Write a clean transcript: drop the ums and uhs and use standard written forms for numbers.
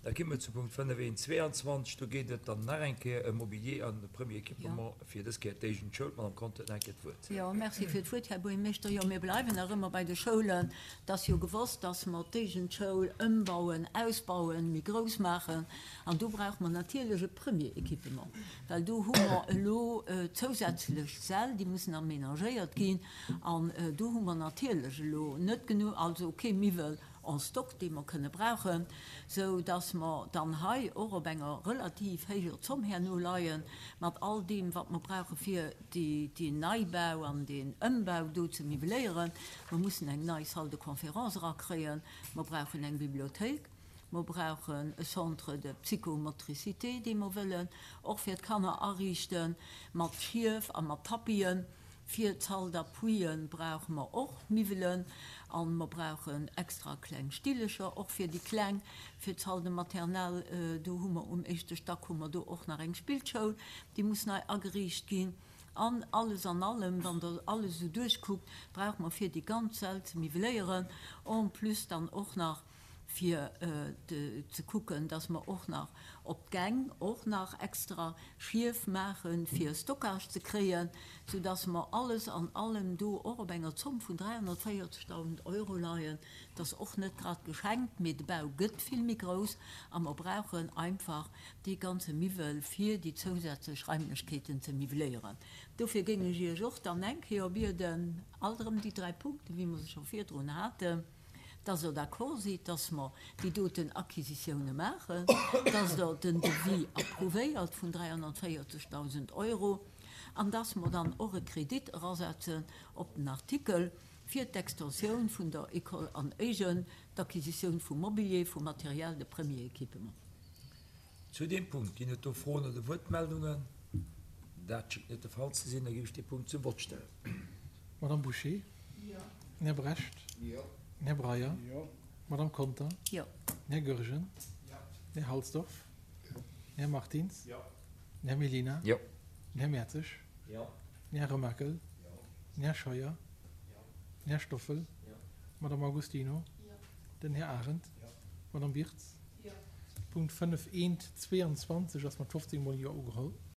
Da gi mer zum Punkt 5, 1, 22. Do geet et dann nach eng Kéier ëm Mobilier an Premier Équipement, fir dës Kéier d'Éigent Schoul. D'Madame Conter huet nach eng Kéier d'Wuert. Jo, merci fir d'Wuert, Här Buergermeeschter. Jo, mir bleiwen nach ëmmer bei de Schoulen. Et ass jo gewosst, dass mer d'Éigent Schoul ëmbauen, ausbauen, méi grouss maachen. An do brauche mer natierlech e Premier Équipement, well do hu mer elo zousätzlech Säll, déi mussen aménagéiert ginn. An do hu mer natierlech elo net genuch, also kee Miwwel en stock, dee mer kënne brauchen, sou dass mer dann hei och op enger relativ héijer Zomm herno leie mat all deem, wat mer brauche fir deen Neibau an deen Ëmbau do ze miwweléieren. Mer mussen eng nei Salle de conférence erakréien, mer brauchen eng Bibliothéik, mer brauchen e Centre de psychomotricité, dee mer wëllen och fir d'Kanner ariichte mat Schief a mat Tapisen. Fir d'Salle d'appuie brauche mer och Miwwelen a mer brauchen extra kleng Stillecher och fir déi Kleng. Fir d'Salle de maternelle, do hu mer um éischte Stack hu mer do och nach eng Spillschoul, déi muss nei ageriicht ginn. An alles an allem, wann Der alles esou duerchkuckt, brauche mer fir déi ganz Säll ze miwweléieren, en plus dann och nach fir ze kucken, dass mer och nach op d'Gäng och nach extra Schief maachen, fir Stockage ze kréien, soudass mer alles an allem do och op enger Zomm vun 340.000 Euro leien. Dat ass och net grad geschenkt, mee de Bau gëtt vill méi grouss a mer brauchen einfach dee ganze Miwwel, fir déi zousätzlech Raimlechkeeten ze miwweléieren. Dofir géing ech Iech och dann eng Kéier bieden, alt erëm déi dräi Punkten, wéi mer se scho virdrun haten, dass Der d'accord sidd, dass mer déi doten Acquisitioune maachen, dass Der den Devis approuvéiert vun 340.000 Euro an dass mer dann och e Kredit erasetzen op den Artikel fir d'Extensioun vun der École an Éigen, d'Acquisitioun vu Mobilier, vu Matériel de premier équipement. Zu deem Punkt ginn et do Froen oder Wuertmeldungen? Dat schéngt net de Fall ze sinn. Da géif ech dee Punkt zum Vott stellen. Madame Bouché? Jo. Den Här Brecht? Jo. Den Här Breyer? Jo. D'Madame Conter? Jo. Den Här Goergen? Jo. Den Här Halsdorf? Jo. Den Här Martins? Jo. Den Här Mellina? Jo. Den Här Mertzig? Jo. Den Här Remakel? Jo. Den Här Scheuer? Jo. Den Här Stoffel? Jo. D'Madame Augustino? Jo. Den Här Arendt? Jo. D'Madame Wirtz? Jo. Punkt 5 eent 22 ass mat 15 mol Jo ugeholl.